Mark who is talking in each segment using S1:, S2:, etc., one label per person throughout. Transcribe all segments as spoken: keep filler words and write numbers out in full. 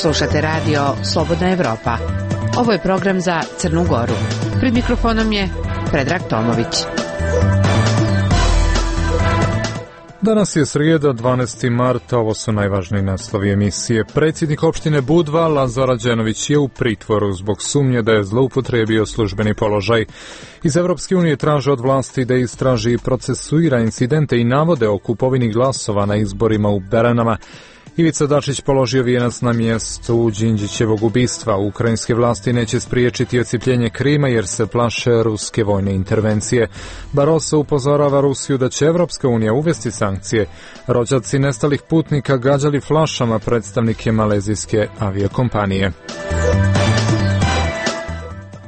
S1: Slušate radio Slobodna Evropa. Ovo je program za Crnu Goru. Pred mikrofonom je Predrag Tomović.
S2: Danas je srijeda, dvanaesti marta, ovo su najvažniji naslovi emisije. Predsjednik opštine Budva, Lazar Rađenović, je u pritvoru zbog sumnje da je zloupotrijebio službeni položaj. Iz Evropske unije traže od vlasti da istraži i procesuira incidente i navode o kupovini glasova na izborima u Beranama. Ivica Dačić položio vijenac na mjestu Đinđićevog ubistva. Ukrajinske vlasti neće spriječiti odcijepljenje Krima jer se plaše ruske vojne intervencije. Barroso upozorava Rusiju da će Evropska unija uvesti sankcije. Rođaci nestalih putnika gađali flašama predstavnike malezijske aviokompanije.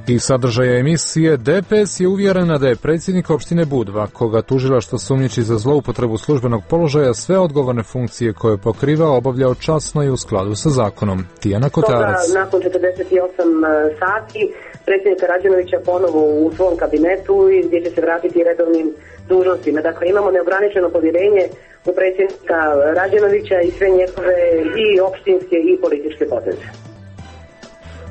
S2: I sadržaja emisije, D P S je uvjerena da je predsjednik opštine Budva, koga tužilaštvo sumnjiči za zloupotrebu službenog položaja, sve odgovorne funkcije koje pokriva obavljao časno i u skladu sa zakonom. Tijana Kotarac.
S3: Toga, nakon četrdeset osam sati predsjednika Rađenovića ponovo u svom kabinetu i gdje će se vratiti redovnim dužnostima. Dakle, imamo neograničeno povjerenje u predsjednika Rađenovića i sve njegove i opštinske i političke poteze.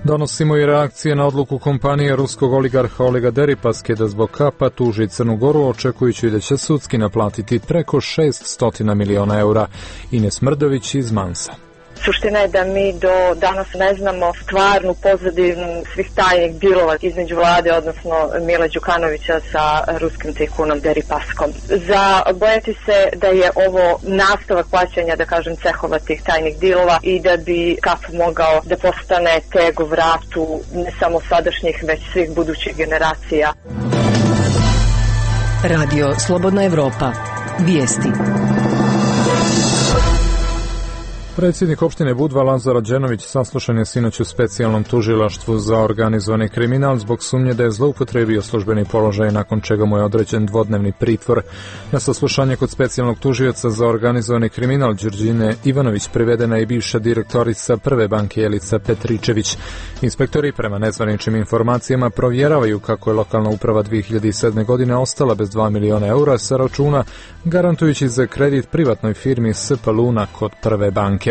S2: Donosimo i reakcije na odluku kompanije ruskog oligarha Olega Deripaske da zbog kapa tuži Crnu Goru, očekujući da će sudski naplatiti preko šesťsto miliona eura. Ines Mrdović iz Mansa.
S4: Suština je da mi do danas ne znamo stvarnu pozadinu svih tajnih dilova između vlade, odnosno Mila Đukanovića sa ruskim tajkunom Deripaskom. Za bojati se da je ovo nastavak plaćanja, da kažem, cehova tih tajnih dilova i da bi kap mogao da postane teg u vratu ne samo sadašnjih, već svih budućih generacija.
S5: Radio Slobodna Evropa. Vijesti.
S2: Predsjednik opštine Budva Lazar Rađenović saslušan je sinoć u specijalnom tužilaštvu za organizovani kriminal zbog sumnje da je zloupotrijebio službeni položaj, nakon čega mu je određen dvodnevni pritvor. Na saslušanje kod specijalnog tužioca za organizovani kriminal Đurđine Ivanović privedena je bivša direktorica Prve banke Jelica Petričević. Inspektori prema nezvaničnim informacijama provjeravaju kako je lokalna uprava dvije hiljade sedme. godine ostala bez dva miliona eura sa računa, garantujući za kredit privatnoj firmi S P Luna kod Prve banke.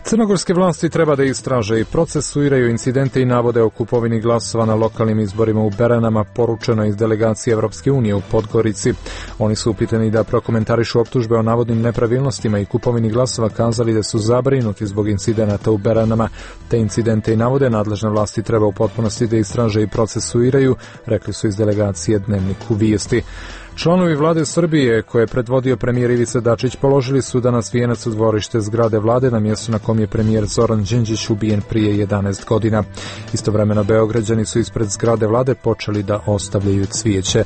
S2: Crnogorske vlasti treba da istraže i procesuiraju incidente i navode o kupovini glasova na lokalnim izborima u Beranama, poručeno iz delegacije Evropske unije u Podgorici. Oni su upitani da prokomentarišu optužbe o navodnim nepravilnostima i kupovini glasova, kazali da su zabrinuti zbog incidenata u Beranama. Te incidente i navode nadležne vlasti treba u potpunosti da istraže i procesuiraju, rekli su iz delegacije Dnevniku Vijesti. Članovi vlade Srbije, koje je predvodio premijer Ivica Dačić, položili su danas vijenac u dvorište zgrade vlade na mjestu na kom je premijer Zoran Đinđić ubijen prije jedanaest godina. Istovremeno Beograđani su ispred zgrade vlade počeli da ostavljaju cvijeće.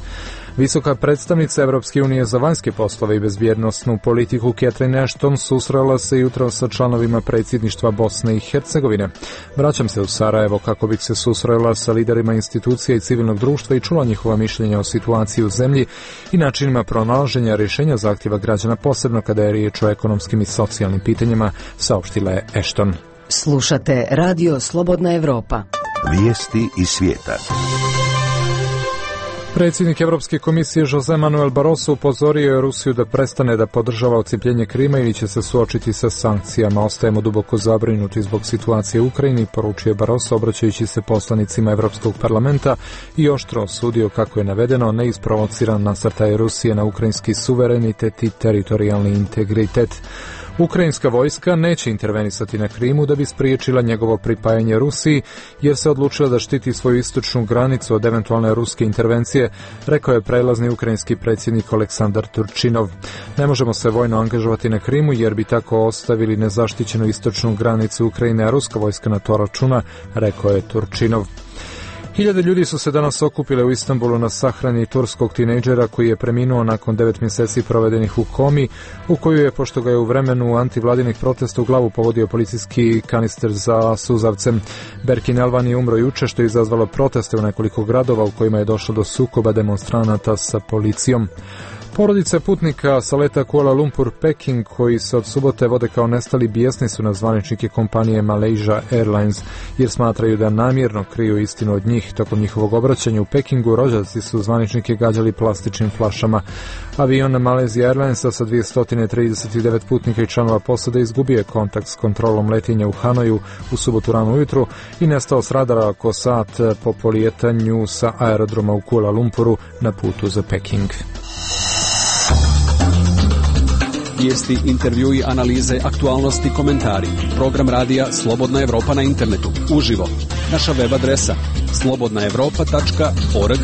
S2: Visoka predstavnica Evropske unije za vanjske poslove i bezbjednosnu politiku Catherine Ashton susrela se jutro sa članovima predsjedništva Bosne i Hercegovine. Vraćam se u Sarajevo kako bih se susrela sa liderima institucija i civilnog društva i čula njihova mišljenja o situaciji u zemlji i načinima pronalaženja rješenja zahtjeva građana, posebno kada je riječ o ekonomskim i socijalnim pitanjima, saopštila je Ashton.
S5: Slušate Radio Slobodna Evropa.
S6: Vijesti iz svijeta.
S2: Predsjednik Evropske komisije Jose Manuel Barroso upozorio je Rusiju da prestane da podržava odcijepljenje Krima ili će se suočiti sa sankcijama. Ostajemo duboko zabrinuti zbog situacije u Ukrajini, poručio Barroso obraćajući se poslanicima Evropskog parlamenta i oštro osudio, kako je navedeno, neisprovociran nasrtaj Rusije na ukrajinski suverenitet i teritorijalni integritet. Ukrajinska vojska neće intervenisati na Krimu da bi spriječila njegovo pripajanje Rusiji, jer se odlučila da štiti svoju istočnu granicu od eventualne ruske intervencije, rekao je prelazni ukrajinski predsjednik Oleksandar Turčinov. Ne možemo se vojno angažovati na Krimu jer bi tako ostavili nezaštićenu istočnu granicu Ukrajine, a ruska vojska na to računa, rekao je Turčinov. Hiljade ljudi su se danas okupile u Istanbulu na sahrani turskog tinejdžera koji je preminuo nakon devet mjeseci provedenih u komi, u koju je, pošto ga je u vremenu antivladinih protesta u glavu pogodio policijski kanister za suzavcem. Berkin Elvan je umro juče, što je izazvalo proteste u nekoliko gradova u kojima je došlo do sukoba demonstranata sa policijom. Porodice putnika sa leta Kuala Lumpur Peking koji se od subote vode kao nestali bijesni su na zvaničnike kompanije Malaysia Airlines jer smatraju da namjerno kriju istinu od njih. Tokom njihovog obraćanja u Pekingu rođaci su zvaničnike gađali plastičnim flašama. Avion Malaysia Airlinesa sa dvjesto trideset devet putnika i članova posade izgubio je kontakt s kontrolom letenja u Hanoju u subotu rano ujutru i nestao s radara oko sat po polijetanju sa aerodroma u Kuala Lumpuru na putu za Peking.
S7: Vijesti, intervjui, analize, aktualnosti, komentari. Program radija Slobodna Evropa na internetu. Uživo. Naša web adresa slobodna evropa tačka org.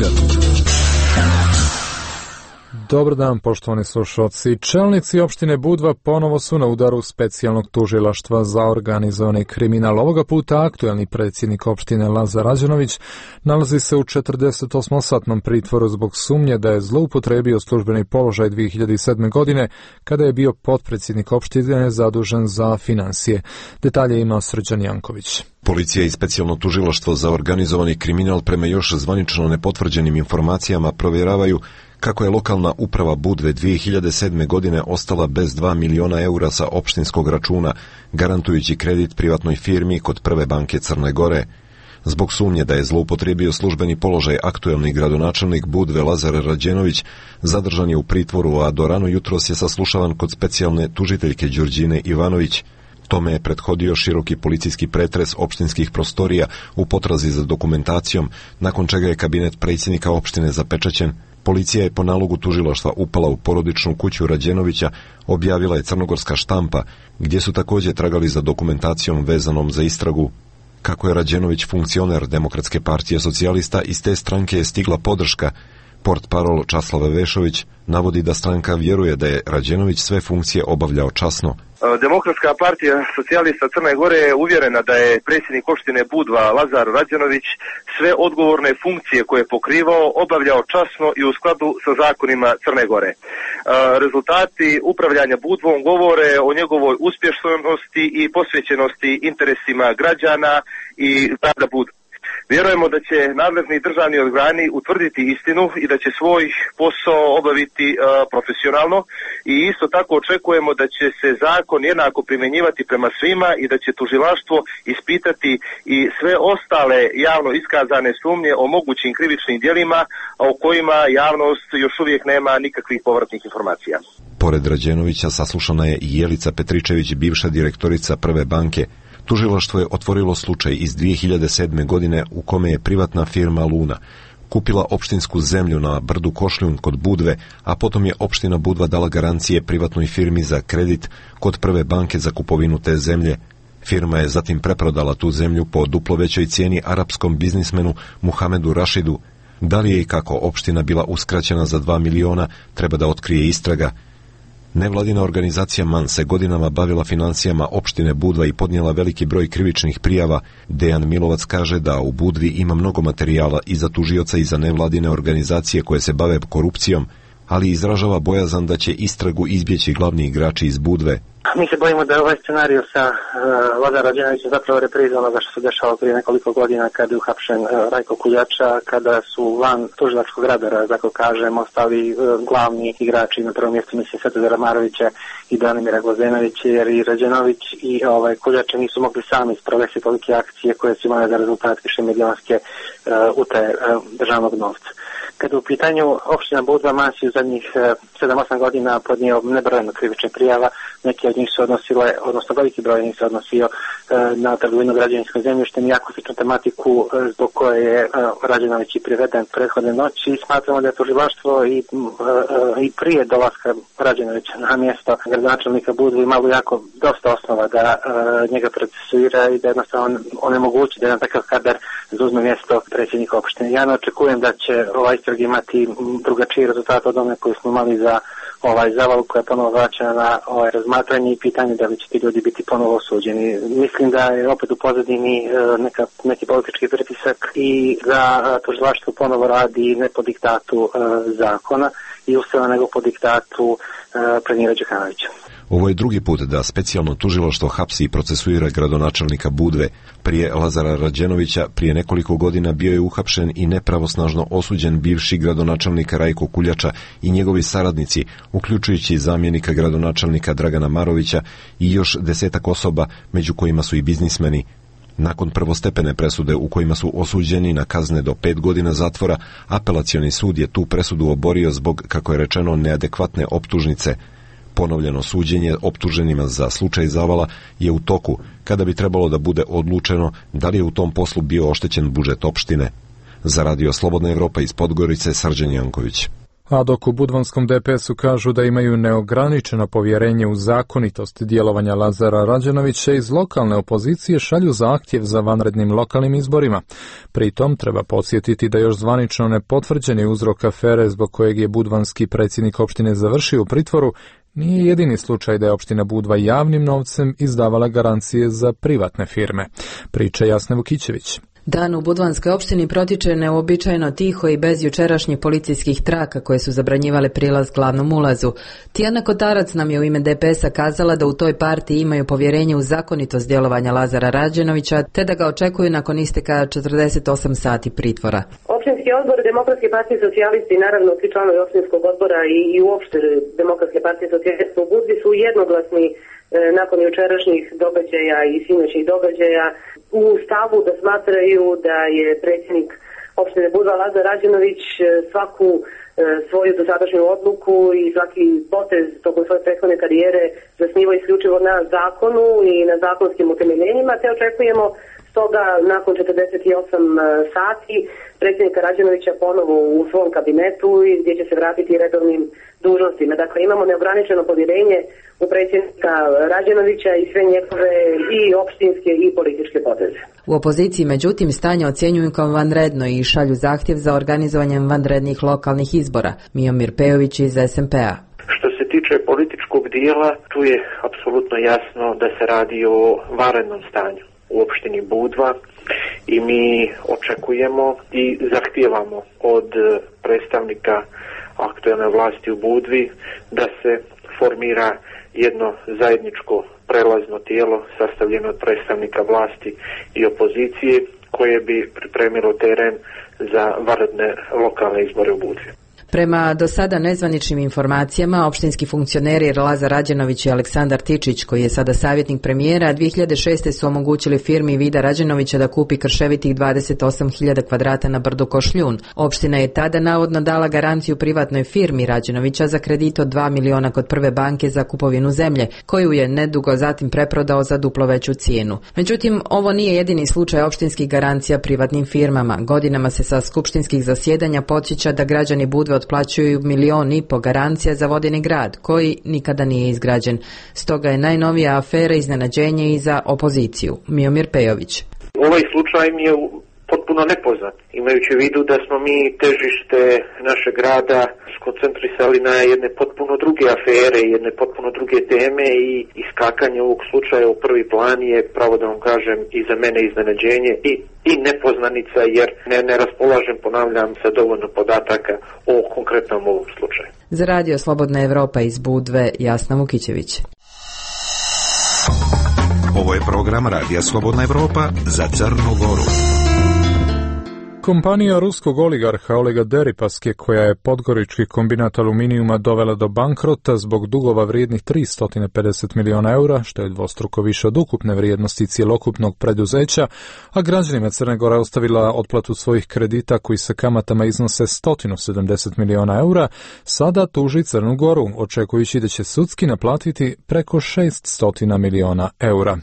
S2: Dobar dan, poštovani slušalci. Čelnici opštine Budva ponovo su na udaru specijalnog tužilaštva za organizovani kriminal. Ovoga puta aktuelni predsjednik opštine Lazar Rađenović nalazi se u četrdesetosmosatnom pritvoru zbog sumnje da je zloupotrebio službeni položaj dvije hiljade sedme. godine kada je bio potpredsjednik opštine zadužen za financije. Detalje ima Srđan Janković.
S8: Policija i specijalno tužilaštvo za organizovani kriminal prema još zvanično nepotvrđenim informacijama provjeravaju kako je lokalna uprava Budve dvije hiljade sedme. godine ostala bez dva miliona eura sa opštinskog računa, garantujući kredit privatnoj firmi kod Prve banke Crne Gore. Zbog sumnje da je zloupotrijebio službeni položaj aktuelni gradonačelnik Budve Lazar Rađenović zadržan je u pritvoru, a do rano jutros je saslušavan kod specijalne tužiteljke Đurđine Ivanović. Tome je prethodio široki policijski pretres opštinskih prostorija u potrazi za dokumentacijom, nakon čega je kabinet predsjednika opštine zapečaćen. Policija je po nalogu tužilaštva upala u porodičnu kuću Rađenovića, objavila je crnogorska štampa, gdje su također tragali za dokumentacijom vezanom za istragu. Kako je Rađenović funkcioner Demokratske partije socijalista, iz te stranke je stigla podrška. Portparol Časlava Vešović navodi da stranka vjeruje da je Rađenović sve funkcije obavljao časno.
S9: Demokratska partija socijalista Crne Gore je uvjerena da je predsjednik opštine Budva Lazar Rađenović sve odgovorne funkcije koje je pokrivao obavljao časno i u skladu sa zakonima Crne Gore. Rezultati upravljanja Budvom govore o njegovoj uspješnosti i posvećenosti interesima građana i grada Budve. Vjerujemo da će nadležni državni organi utvrditi istinu i da će svoj posao obaviti uh, profesionalno i isto tako očekujemo da će se zakon jednako primjenjivati prema svima i da će tužilaštvo ispitati i sve ostale javno iskazane sumnje o mogućim krivičnim djelima o kojima javnost još uvijek nema nikakvih povratnih informacija.
S8: Pored Rađenovića saslušana je i Jelica Petričević, bivša direktorica Prve banke. Tužilaštvo je otvorilo slučaj iz dvije hiljade sedme. godine u kome je privatna firma Luna kupila opštinsku zemlju na brdu Košljun kod Budve, a potom je opština Budva dala garancije privatnoj firmi za kredit kod Prve banke za kupovinu te zemlje. Firma je zatim preprodala tu zemlju po duplo većoj cijeni arapskom biznismenu Muhamedu Rašidu. Da li je i kako opština bila uskraćena za dva miliona, treba da otkrije istraga. Nevladina organizacija MAN se godinama bavila financijama opštine Budva i podnijela veliki broj krivičnih prijava. Dejan Milovac kaže da u Budvi ima mnogo materijala i za tužioca i za nevladine organizacije koje se bave korupcijom, ali izražava bojazan da će istragu izbjeći glavni igrači iz Budve.
S10: Mi se bojimo da je ovaj scenarij sa uh, Lazar Rađenovićem zapravo repriza onoga što se dešava prije nekoliko godina kada je uhapšen uh, Rajko Kuljača, kada su van tužilačkog radara, tako kažem, ostali uh, glavni igrači. Na prvom mjestu mislim Svetozara Marovića i Danimira Glazenovića, jer i Rađenović i ovaj, Kuljača nisu mogli sami sprovesti tolike akcije koje su imale za rezultat više milionske uh, utaje uh, državnog novca. Kada u pitanju opština Budva, MAN je u zadnjih sedam osam godina podnio nebrojeno krivičnih prijava, neke od njih su odnosile, odnosno veliki broj njih se odnosio e, na trgovinu građevinskom zemljištem i jako sličnu tematiku e, zbog koje je e, Rađenović i priveden prethodne noći. I smatramo da je tužilaštvo i, e, i prije dolaska Rađenovića na mjesto gradonačelnika Budve imalo jako dosta osnova da e, njega procesuira i da jednostavno onemogući da jedan takav kadar zauzme mjesto predsjednika opštine. Ja ne očekujem da će ovaj istrag imati drugačiji rezultat od one koji smo imali za ovaj zaval koja je ponovo vraćena na ovaj razmatranje i pitanje da li će ti ljudi biti ponovo osuđeni. Mislim da je opet u pozadini neka, neki politički pritisak i da tužilaštvo ponovo radi ne po diktatu uh, zakona i ustava nego po diktatu uh, premijera Đukanovića.
S8: Ovo je drugi put da specijalno tužilaštvo hapsi i procesuira gradonačelnika Budve. Prije Lazara Rađenovića prije nekoliko godina bio je uhapšen i nepravosnažno osuđen bivši gradonačelnik Rajko Kuljača i njegovi saradnici, uključujući zamjenika gradonačelnika Dragana Marovića i još desetak osoba, među kojima su i biznismeni. Nakon prvostepene presude u kojima su osuđeni na kazne do pet godina zatvora, apelacioni sud je tu presudu oborio zbog, kako je rečeno, neadekvatne optužnice. Ponovljeno suđenje optuženima za slučaj Zavala je u toku, kada bi trebalo da bude odlučeno da li je u tom poslu bio oštećen budžet opštine. Za Radio Slobodna Evropa iz Podgorice, Srđan Janković.
S2: A dok u budvanskom D P S-u kažu da imaju neograničeno povjerenje u zakonitost djelovanja Lazara Rađenovića, iz lokalne opozicije šalju zahtjev za vanrednim lokalnim izborima. Pritom treba podsjetiti da još zvanično nepotvrđeni uzrok afere zbog kojeg je budvanski predsjednik opštine završio u pritvoru nije jedini slučaj da je opština Budva javnim novcem izdavala garancije za privatne firme. Priča Jasne Vukićević.
S11: Dan u budvanskoj opštini protiče neobičajno tiho i bez jučerašnjih policijskih traka koje su zabranjivale prilaz glavnom ulazu. Tijana Kotarac nam je u ime D P S-a kazala da u toj partiji imaju povjerenje u zakonitost djelovanja Lazara Rađenovića, te da ga očekuju nakon isteka četrdeset osam sati pritvora.
S3: Opštinski odbor Demokratske partije socijalisti i naravno svi članovi opštinskog odbora i, i uopšte Demokratske partije socijalista u Budvi su jednoglasni e, nakon jučerašnjih događaja i sinoćnih događaja u stavu da smatraju da je predsjednik opštine Budva Lazar Rađenović svaku e, svoju dosadašnju odluku i svaki potez tokom svoje prethodne karijere zasnivao isključivo na zakonu i na zakonskim utemeljenjima, te očekujemo stoga nakon četrdeset osam sati predsjednika Rađenovića ponovo u svom kabinetu i gdje će se vratiti redovnim dužnostima. Dakle, imamo neograničeno povjerenje u predsjednika Rađenovića i sve njegove i opštinske i političke poteze.
S11: U opoziciji, međutim, stanje ocjenjuju kao vanredno i šalju zahtjev za organizovanjem vanrednih lokalnih izbora. Miomir Pejović iz S M P-a.
S12: Što se tiče političkog dijela, tu je apsolutno jasno da se radi o vanrednom stanju u opštini Budva i mi očekujemo i zahtijevamo od predstavnika aktualne vlasti u Budvi da se formira jedno zajedničko prelazno tijelo sastavljeno od predstavnika vlasti i opozicije koje bi pripremilo teren za vanredne lokalne izbore u Budvi.
S11: Prema do sada nezvaničnim informacijama, opštinski funkcioneri Lazar Rađenović i Aleksandar Tičić, koji je sada savjetnik premijera, dvije hiljade šeste. su omogućili firmi Vida Rađenovića da kupi krševitih dvadeset osam hiljada kvadrata na brdu Košljun. Opština je tada navodno dala garanciju privatnoj firmi Rađenovića za kredit od dva miliona kod prve banke za kupovinu zemlje, koju je nedugo zatim preprodao za duplo veću cijenu. Međutim, ovo nije jedini slučaj opštinskih garancija privatnim firmama. Godinama se sa skupštinskih zasjedanja podsjeća da građani Budve otplaćuju milion i po garancija za vodeni grad, koji nikada nije izgrađen. Stoga je najnovija afera iznenađenje i za opoziciju. Miomir Pejović.
S12: Ovaj slučaj mi je potpuno nepoznat, imajući u vidu da smo mi težište našeg grada skoncentrisali na jedne potpuno druge afere, jedne potpuno druge teme i iskakanje ovog slučaja u prvi plan je, pravo da vam kažem, i za mene iznenađenje i, i nepoznanica, jer ne, ne raspolažem, ponavljam, sa dovoljno podataka o konkretnom ovom slučaju.
S11: Za Radio Slobodna Evropa iz Budve, Jasna Vukićević.
S6: Ovo je program Radija Slobodna Evropa za Crnu Goru.
S2: Kompanija ruskog oligarha Olega Deripaske, koja je podgorički kombinat aluminijuma dovela do bankrota zbog dugova vrijednih tristo pedeset miliona eura, što je dvostruko više od ukupne vrijednosti cjelokupnog preduzeća, a građanima Crne Gore ostavila otplatu svojih kredita koji sa kamatama iznose sto sedamdeset miliona eura, sada tuži Crnu Goru, očekujući da će sudski naplatiti preko šesto miliona eura.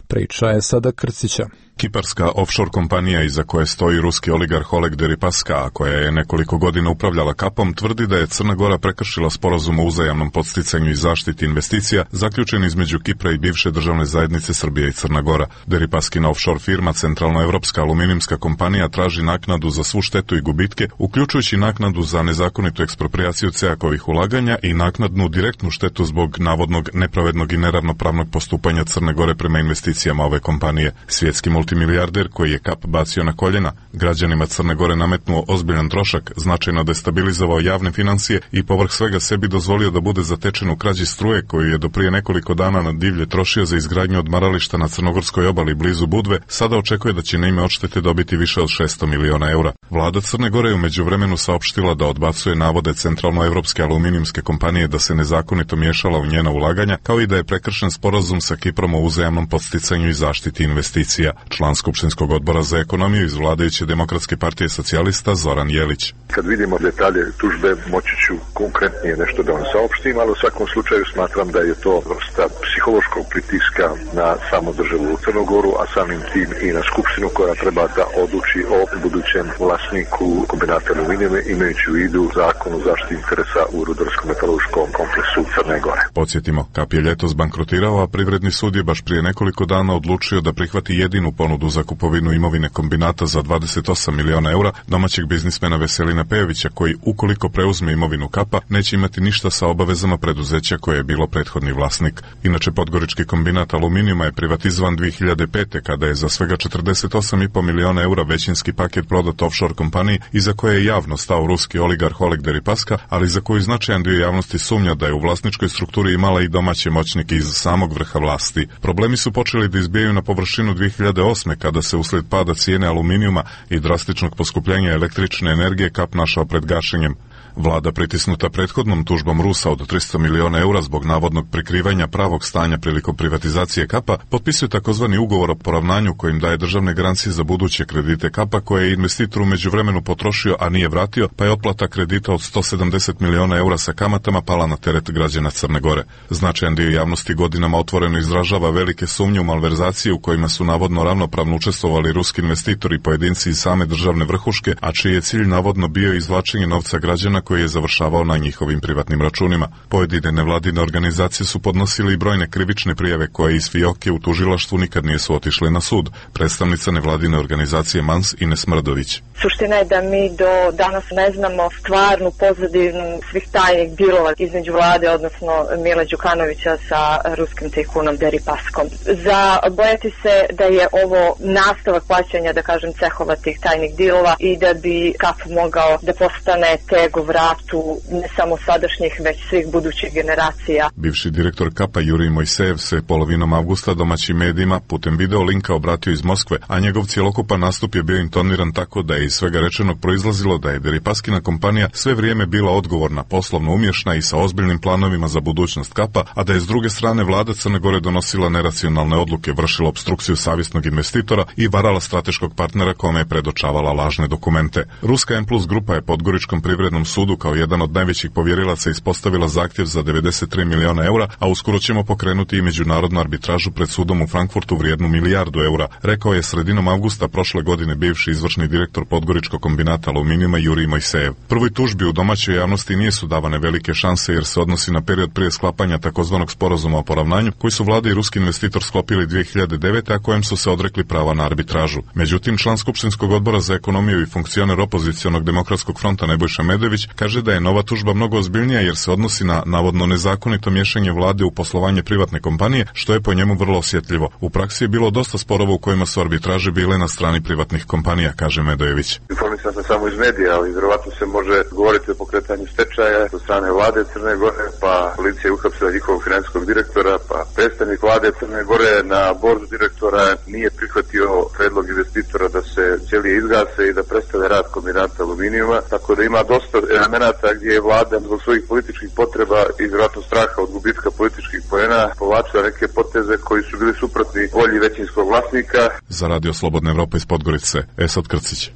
S2: Priča je sada Krcića.
S13: Kiparska offshore kompanija iza koje stoji ruski oligarh Oleg Deripaska, a koja je nekoliko godina upravljala Kapom, tvrdi da je Crna Gora prekršila sporazum o uzajamnom podsticanju i zaštiti investicija zaključen između Kipra i bivše državne zajednice Srbije i Crna Gora. Deripaskina offshore firma Centralnoevropska aluminijumska kompanija traži naknadu za svu štetu i gubitke, uključujući naknadu za nezakonitu ekspropriaciju cejakovih ulaganja i naknadnu direktnu štetu zbog navodnog nepravednog i neravnopravnog postupanja Crne Gore prema investicijama ove kompanije. Svjetski multi multimilijarder koji je Kap bacio na koljena, građanima Crne Gore nametnuo ozbiljan trošak, značajno destabilizovao javne financije i povrh svega sebi dozvolio da bude zatečen u krađi struje koju je do prije nekoliko dana na divlje trošio za izgradnju odmarališta na crnogorskoj obali blizu Budve, sada očekuje da će na ime odštete dobiti više od šesto miliona eura. Vlada Crne Gore je u međuvremenu saopštila da odbacuje navode centralnoevropske aluminijumske kompanije da se nezakonito miješala u njena ulaganja, kao i da je prekršen sporazum sa Kiprom o uzajamnom podsticanju i zaštiti investicija. Član Skupštinskog odbora za ekonomiju iz vladajuće Demokratske partije socijalista Zoran Jelić.
S14: Kad vidimo detalje tužbe, moći ću konkretnije nešto da vam saopštim, ali u svakom slučaju smatram da je to vrsta psihološkog pritiska na samu državu u Crnogoru, a samim tim i na Skupštinu koja treba da odluči o budućem vlasniku kombinata aluminijuma, imajući u vidu zakon o zaštiti interesa u rudarsko-metaloškom kompleksu Crne Gore.
S13: Podsjetimo, Kap je ljetos bankrotirao, a Privredni sud je baš prije nekoliko dana odlučio da prihvati jedinu ponudu za kupovinu imovine kombinata za dvadeset osam miliona eura domaćeg biznismena Veselina Pejovića, koji ukoliko preuzme imovinu Kapa neće imati ništa sa obavezama preduzeća koje je bilo prethodni vlasnik. Inače, Podgorički kombinat aluminijuma je privatizovan dvije hiljade pete kada je za svega četrdeset osam zarez pet miliona eura većinski paket prodat offshore kompaniji iza koje je javno stao ruski oligarh Oleg Deripaska, ali za koju značajan dio javnosti sumnja da je u vlasničkoj strukturi imala i domaće moćnike iz samog vrha vlasti. Problemi su počeli da izbijaju na površinu dvije hiljade osme kada se usled pada cijene aluminijuma i drastičnog poskupljenja električne energije Kap našao pred gašenjem. Vlada, pritisnuta prethodnom tužbom Rusa od tristo miliona eura zbog navodnog prikrivanja pravog stanja prilikom privatizacije Kapa, potpisuje takozvani ugovor o poravnanju kojim daje državne garancije za buduće kredite Kapa koje je investitor u međuvremenu potrošio, a nije vratio, pa je otplata kredita od sto sedamdeset miliona eura sa kamatama pala na teret građana Crne Gore. Značajan dio javnosti godinama otvoreno izražava velike sumnje u malverzacije u kojima su navodno ravnopravno učestvovali ruski investitori i pojedinci iz same državne vrhuške, a čiji je cilj navodno bio izvlačenje novca građana koji je završavao na njihovim privatnim računima. Pojedine nevladine organizacije su podnosili i brojne krivične prijave koje iz fioke u tužilaštvu nikad nisu otišle na sud. Predstavnica nevladine organizacije Mans Ines Mrdović.
S4: Suština je da mi do danas ne znamo stvarnu pozadinu svih tajnih dilova između vlade, odnosno Mila Đukanovića sa ruskim tajkunom Deripaskom. Za bojati se da je ovo nastavak plaćanja, da kažem, cehova tih tajnih dilova i da bi Kap mogao da postane tego vratu ne samo sadašnjih, već svih budućih generacija.
S13: Bivši direktor Kapa Jurij Mojsejev se polovinom avgusta domaćim medijima putem video linka obratio iz Moskve, a njegov cjelokupan nastup je bio intoniran tako da je iz svega rečenog proizlazilo da je Deripaskina kompanija sve vrijeme bila odgovorna, poslovno umješna i sa ozbiljnim planovima za budućnost Kapa, a da je s druge strane vlada Crne Gore donosila neracionalne odluke, vršila opstrukciju savjesnog investitora i varala strateškog partnera kome je predočavala lažne dokumente. Ruska M plus grupa je Podgoričkom privrednom sudu kao jedan od najvećih povjerilaca ispostavila zahtjev za devedeset tri miliona eura, a uskoro ćemo pokrenuti i međunarodnu arbitražu pred sudom u Frankfurtu vrijednu milijardu eura, rekao je sredinom avgusta prošle godine bivši izvršni direktor Podgoričkog kombinata aluminijuma Jurij Mojsejev. Prvoj tužbi u domaćoj javnosti nisu davane velike šanse jer se odnosi na period prije sklapanja takozvanog sporazuma o poravnanju koji su vlada i ruski investitor sklopili dvije hiljade devete, a kojem su se odrekli prava na arbitražu. Međutim, član Skupštinskog odbora za ekonomiju i funkcioner opozicionog demokratskog fronta Nebojša Medović kaže da je nova tužba mnogo ozbiljnija jer se odnosi na navodno nezakonito miješanje vlade u poslovanje privatne kompanije, što je po njemu vrlo osjetljivo. U praksi je bilo dosta sporova u kojima su arbitraže bile na strani privatnih kompanija, kaže Medojević.
S14: Informisan sam samo iz medija, ali vjerovatno se može govoriti o pokretanju stečaja od strane vlade Crne Gore, pa policija je uhapsila njihovog financijskog direktora, pa predstavnik vlade Crne Gore na bordu direktora nije prihvatio predlog investitora da se ćelije izgase i da prestave rad kombinata aluminijuma, tako da ima dosta elemenata gdje je vlada zbog svojih političkih potreba i vjerojatno straha od gubitka političkih poena povlačila neke poteze koji su bili suprotni volji većinskog vlasnika.
S13: Za Radio Slobodna Evropa iz Podgorice, Esad Krcić.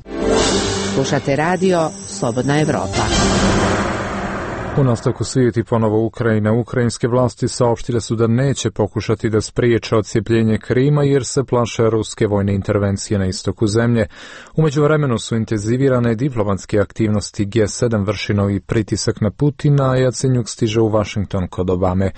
S1: Slušate radio Slobodna Evropa.
S2: U nastavku svijeti ponovo Ukrajina. Ukrajinske vlasti saopštile su da neće pokušati da spriječe odcijepljenje Krima jer se plaše ruske vojne intervencije na istoku zemlje. U međuvremenu su intenzivirane diplomatske aktivnosti. G sedam vrši novi pritisak na Putina, a Jacenjuk stiže u Washington kod Obame.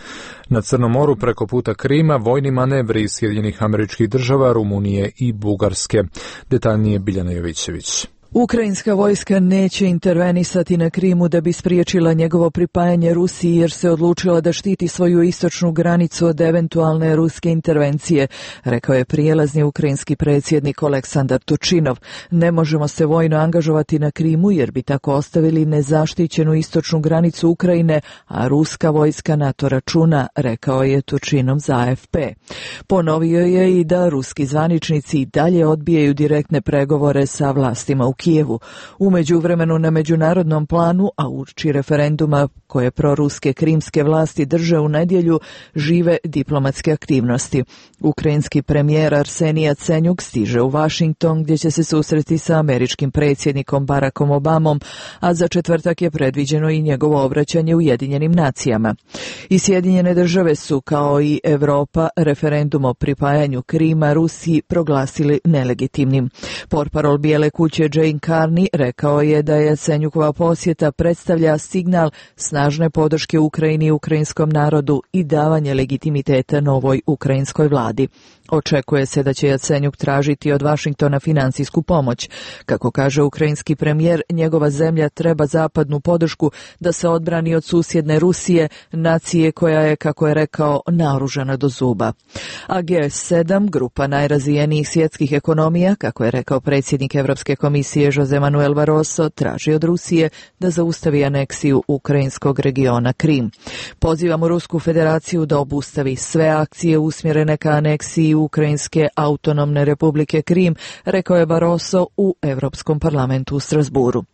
S2: Na Crnom moru preko puta Krima vojni manevri iz Sjedinjenih Američkih Država, Rumunije i Bugarske. Detaljnije Biljana Jovićević.
S15: Ukrajinska vojska neće intervenisati na Krimu da bi spriječila njegovo pripajanje Rusiji jer se odlučila da štiti svoju istočnu granicu od eventualne ruske intervencije, rekao je prijelazni ukrajinski predsjednik Aleksandar Tučinov. Ne možemo se vojno angažovati na Krimu jer bi tako ostavili nezaštićenu istočnu granicu Ukrajine, a ruska vojska na to računa, rekao je Tučinov za A F P. Ponovio je i da ruski zvaničnici i dalje odbijaju direktne pregovore sa vlastima u Kijevu. U međuvremenu na međunarodnom planu, a uoči referenduma koje proruske krimske vlasti drže u nedjelju, žive diplomatske aktivnosti. Ukrajinski premijer Arsenij Jacenjuk stiže u Washington gdje će se susreti sa američkim predsjednikom Barackom Obamom, a za četvrtak je predviđeno i njegovo obraćanje Ujedinjenim nacijama. I Sjedinjene države su, kao i Europa, referendum o pripajanju Krima Rusiji proglasili nelegitimnim. Portparol Bijele kuće Jane Carney rekao je da je Jacenjukova posjeta predstavlja signal snažne podrške Ukrajini i ukrajinskom narodu i davanje legitimiteta novoj ukrajinskoj vladi. Očekuje se da će Jacenjuk tražiti od Vašingtona financijsku pomoć. Kako kaže ukrajinski premijer, njegova zemlja treba zapadnu podršku da se odbrani od susjedne Rusije, nacije koja je, kako je rekao, naoružana do zuba. A G sedam, grupa najrazvijenijih svjetskih ekonomija, kako je rekao predsjednik Europske komisije Jose Manuel Barroso, traži od Rusije da zaustavi aneksiju ukrajinskog regiona Krim. Pozivamo Rusku federaciju da obustavi sve akcije usmjerene ka aneksiji Ukrajinske autonomne republike Krim, rekao je Barroso u Europskom parlamentu u Strasburu.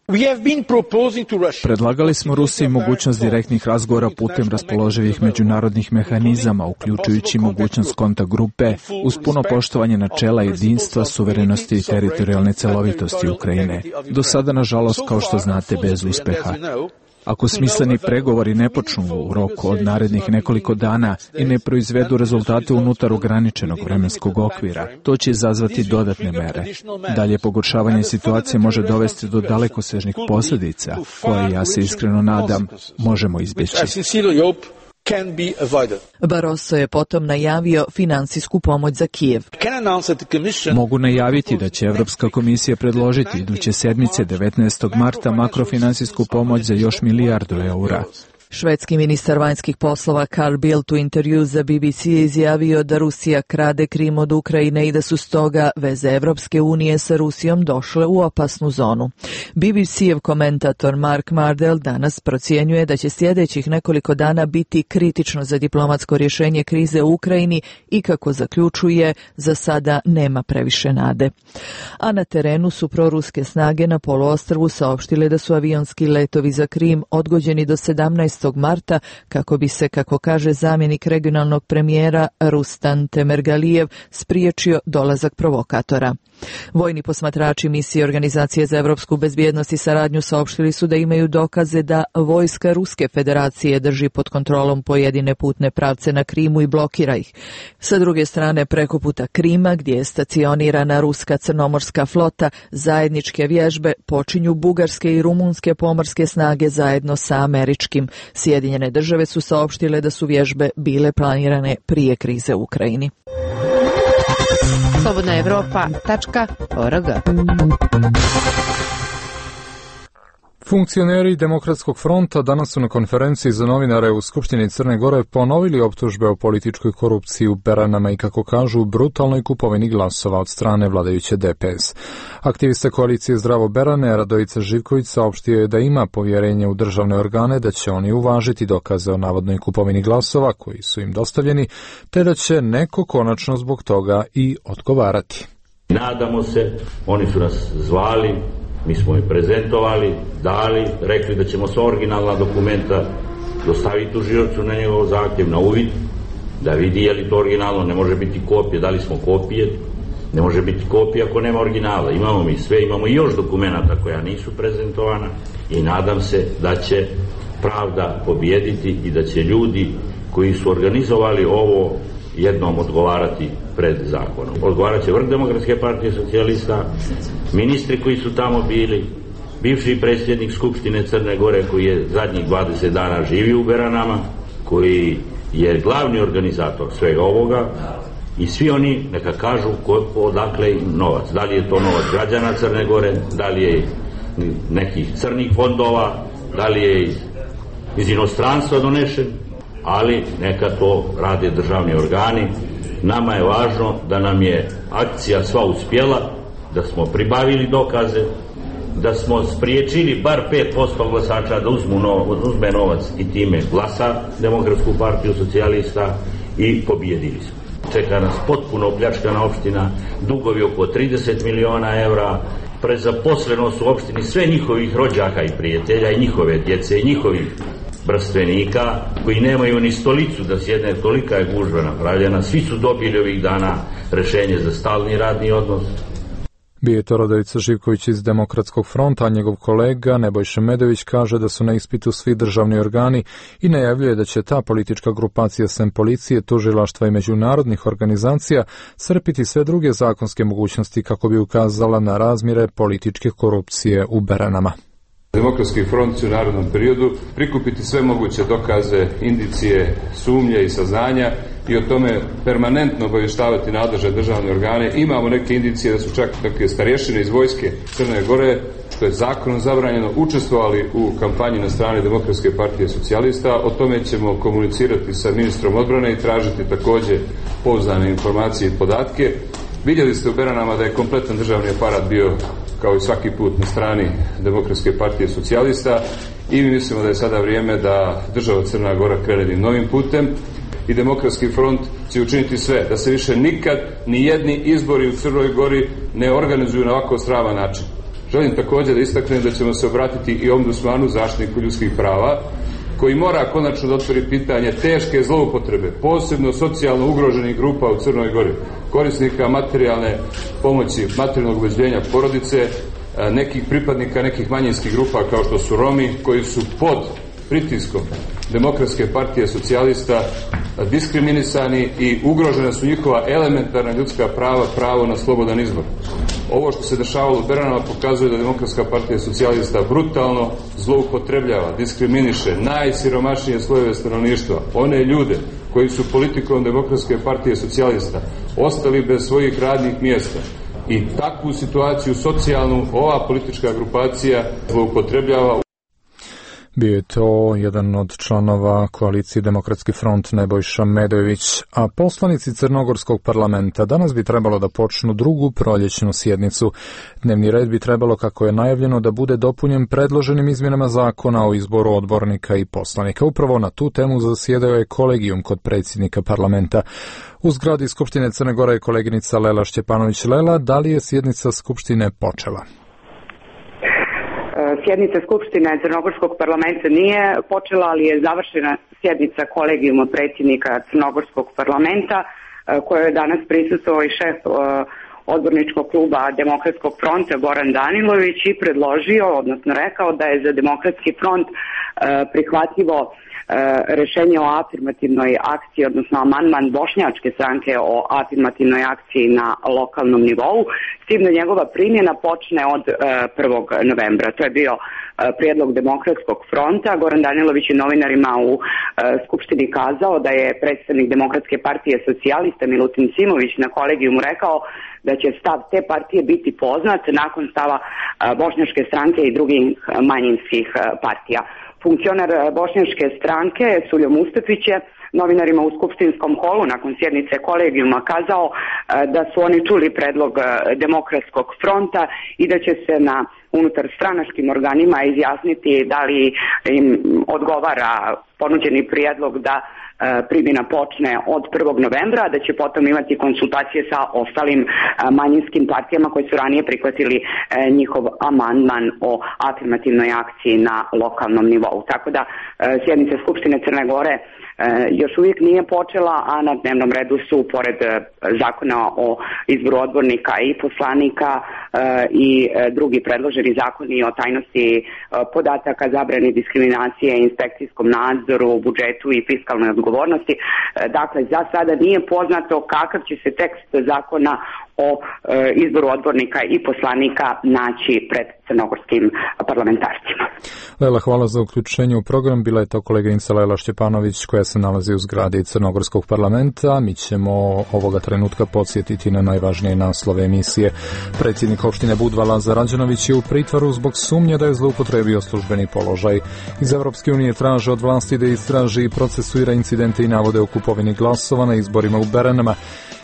S16: Predlagali smo Rusiji mogućnost direktnih razgovora putem raspoloživih međunarodnih mehanizama, uključujući mogućnost kontakt grupe, uz puno poštovanje načela jedinstva, suverenosti i teritorijalne celovitosti Ukrajine. Do sada, nažalost, kao što znate, bez uspeha. Ako smisleni pregovori ne počnu u roku od narednih nekoliko dana i ne proizvedu rezultate unutar ograničenog vremenskog okvira, to će izazvati dodatne mere. Dalje pogoršavanje situacije može dovesti do dalekosežnih posljedica, koje, ja se iskreno nadam, možemo izbjeći.
S15: Barroso je potom najavio financijsku pomoć za Kijev.
S16: Mogu najaviti da će Europska komisija predložiti iduće sedmice devetnaestog marta makrofinansijsku pomoć za još milijardu eura.
S15: Švedski ministar vanjskih poslova Carl Bildt u intervju za B B C je izjavio da Rusija krade Krim od Ukrajine i da su stoga veze Evropske unije sa Rusijom došle u opasnu zonu. B B C-ev komentator Mark Mardell danas procjenjuje da će sljedećih nekoliko dana biti kritično za diplomatsko rješenje krize u Ukrajini i, kako zaključuje, za sada nema previše nade. A na terenu su proruske snage na poluostrvu saopštile da su avionski letovi za Krim odgođeni do sedamnaestog marta kako bi se, kako kaže zamjenik regionalnog premijera Rustan Temergalijev, spriječio dolazak provokatora. Vojni posmatrači misije Organizacije za evropsku bezbjednost i saradnju saopštili su da imaju dokaze da vojska Ruske federacije drži pod kontrolom pojedine putne pravce na Krimu i blokira ih. Sa druge strane, preko puta Krima, gdje je stacionirana ruska crnomorska flota, zajedničke vježbe počinju bugarske i rumunske pomorske snage zajedno sa američkim. Sjedinjene države su saopštile da su vježbe bile planirane prije krize u Ukrajini.
S1: slobodna evropa tačka org.
S2: Funkcioneri Demokratskog fronta danas su na konferenciji za novinare u Skupštini Crne Gore ponovili optužbe o političkoj korupciji u Beranama i, kako kažu, brutalnoj kupovini glasova od strane vladajuće D P S. Aktivista koalicije Zdravo Berane, Radojica Živković, saopštio je da ima povjerenje u državne organe, da će oni uvažiti dokaze o navodnoj kupovini glasova koji su im dostavljeni, te da će neko konačno zbog toga i odgovarati.
S17: Nadamo se, oni su nas zvali, mi smo ih prezentovali, dali, rekli da ćemo sva originalna dokumenta dostaviti tužiocu na njegov zahtjev, na uvid, da vidi je li to originalno, ne može biti kopije, dali smo kopije, ne može biti kopija ako nema originala. Imamo mi sve, imamo i još dokumenta koja nisu prezentovana i nadam se da će pravda pobijediti i da će ljudi koji su organizovali ovo jednom odgovarati pred zakonom. Odgovarat će vrh Demokratske partije socijalista, ministri koji su tamo bili, bivši predsjednik Skupštine Crne Gore koji je zadnjih dvadeset dana živio u Beranama, koji je glavni organizator svega ovoga, I svi oni neka kažu ko, odakle im novac. Da li je to novac građana Crne Gore, da li je nekih crnih fondova, da li je iz, iz inostranstva donešen, ali neka to rade državni organi. Nama je važno da nam je akcija sva uspjela, da smo pribavili dokaze, da smo spriječili bar pet posto glasača da uzmu novac, uzme novac i time glasa Demokratsku partiju socijalista i pobjedili smo. Čeka nas potpuno opljačkana opština, dugovi oko trideset miliona evra, prezaposlenost u opštini sve njihovih rođaka i prijatelja i njihove djece i njihovih brstvenika koji nemaju ni stolicu da sjedne, tolika je gužva napravljena. Svi su dobili ovih dana rešenje za stalni radni odnos.
S2: Bio je to Rodovica Živković iz Demokratskog fronta, a njegov kolega Nebojša Medović kaže da su na ispitu svi državni organi i najavljuje da će ta politička grupacija sem policije, tužilaštva i međunarodnih organizacija crpiti sve druge zakonske mogućnosti kako bi ukazala na razmjere političke korupcije u Beranama.
S18: Demokratski front će u narednom periodu prikupiti sve moguće dokaze, indicije, sumnje i saznanja i o tome permanentno obavještavati nadležne državne organe. Imamo neke indicije da su čak neke starješine iz vojske Crne Gore, što je zakonom zabranjeno, učestvovali u kampanji na strani Demokratske partije socijalista. O tome ćemo komunicirati sa ministrom odbrane i tražiti također pouzdane informacije i podatke. Vidjeli ste u Beranama da je kompletan državni aparat bio kao i svaki put na strani Demokratske partije socijalista i mi mislimo da je sada vrijeme da država Crna Gora krene novim putem i Demokratski front će učiniti sve da se više nikad ni jedni izbori u Crnoj Gori ne organizuju na ovako sraman način. Želim također da istaknem da ćemo se obratiti i ombudsmanu, zaštitniku ljudskih prava, koji mora konačno da otvori pitanje teške zloupotrebe, posebno socijalno ugroženih grupa u Crnoj Gori, korisnika materijalne pomoći, materijalnog obezbeđenja porodice, nekih pripadnika nekih manjinskih grupa kao što su Romi, koji su pod pritiskom Demokratske partije socijalista diskriminisani i ugrožena su njihova elementarna ljudska prava, pravo na slobodan izbor. Ovo što se dešavalo u Beranama pokazuje da Demokratska partija socijalista brutalno zloupotrebljava, diskriminiše najsiromašnije slojeve stanovništva, one ljude koji su politikom Demokratske partije socijalista ostali bez svojih radnih mjesta. I takvu situaciju socijalnu ova politička grupacija zloupotrebljava.
S2: Bio je to jedan od članova koalicije Demokratski front Nebojša Medović, a poslanici Crnogorskog parlamenta danas bi trebalo da počnu drugu proljećnu sjednicu. Dnevni red bi trebalo, kako je najavljeno, da bude dopunjen predloženim izmjenama zakona o izboru odbornika i poslanika. Upravo na tu temu zasjedao je kolegijum kod predsjednika parlamenta. U zgradi Skupštine Crne Gore je koleginica Lela Šćepanović. Lela, da li je sjednica Skupštine počela?
S19: Sjednica Skupštine Crnogorskog parlamenta nije počela, ali je završena sjednica kolegijuma predsjednika Crnogorskog parlamenta, kojoj je danas prisustvovao i šef odborničkog kluba Demokratskog fronta Goran Danilović i predložio, odnosno rekao da je za Demokratski front prihvatljivo rešenje o afirmativnoj akciji, odnosno amandman bošnjačke stranke o afirmativnoj akciji na lokalnom nivou, s tim da njegova primjena počne od prvog novembra. To je bio prijedlog Demokratskog fronta. Goran Danilović je novinarima u Skupštini kazao da je predstavnik Demokratske partije socijalista Milutin Simović na kolegijumu rekao da će stav te partije biti poznat nakon stava bošnjačke stranke i drugih manjinskih partija. Funkcionar bošnjačke stranke Suljo Mustafić je novinarima u skupštinskom holu nakon sjednice kolegijuma kazao da su oni čuli predlog Demokratskog fronta i da će se na unutar stranačkim organima izjasniti da li im odgovara ponuđeni prijedlog da primjena počne od prvog novembra, da će potom imati konsultacije sa ostalim manjinskim partijama koji su ranije prihvatili njihov amandman o afirmativnoj akciji na lokalnom nivou. Tako da sjednica Skupštine Crne Gore još uvijek nije počela, a na dnevnom redu su, pored zakona o izboru odbornika i poslanika i drugi predloženi zakoni o tajnosti podataka, zabrani diskriminacije, inspekcijskom nadzoru, budžetu i fiskalnoj odgovornosti. Dakle, za sada nije poznato kakav će se tekst zakona o izboru odbornika i poslanika naći pred crnogorskim parlamentarcima.
S2: Lela, hvala za uključenje u program. Bila je to koleginica Lela Šćepanović koja se nalazi u zgradi Crnogorskog parlamenta. Mi ćemo ovoga trenutka podsjetiti na najvažnije naslove emisije. Predsjednik opštine Budva Lazar Rađenović je u pritvoru zbog sumnje da je zloupotrebio službeni položaj. Iz Evropske unije traže od vlasti da istraži i procesuira incidente i navode o kupovini glasova na izborima u Beranama.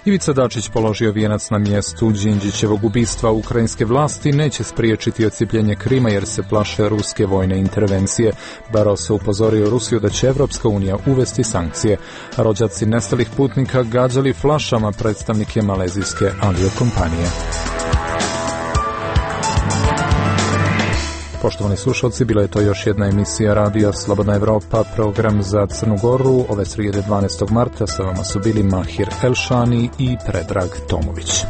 S2: Ivica Dačić položio vijenac na mjestu Đinđićevog ubistva. Ukrajinske vlasti neće spriječiti odcijepljenje Krima jer se plaše ruske vojne intervencije. Barroso upozorio Rusiju da će Evropska unija uvesti sankcije. Rođaci nestalih putnika gađali flašama predstavnike malezijske aviokompanije. Poštovani slušalci, bila je to još jedna emisija Radija Slobodna Evropa, program za Crnu Goru. Ove srijede dvanaestog marta sa vama su bili Mahir Elšani i Predrag Tomović.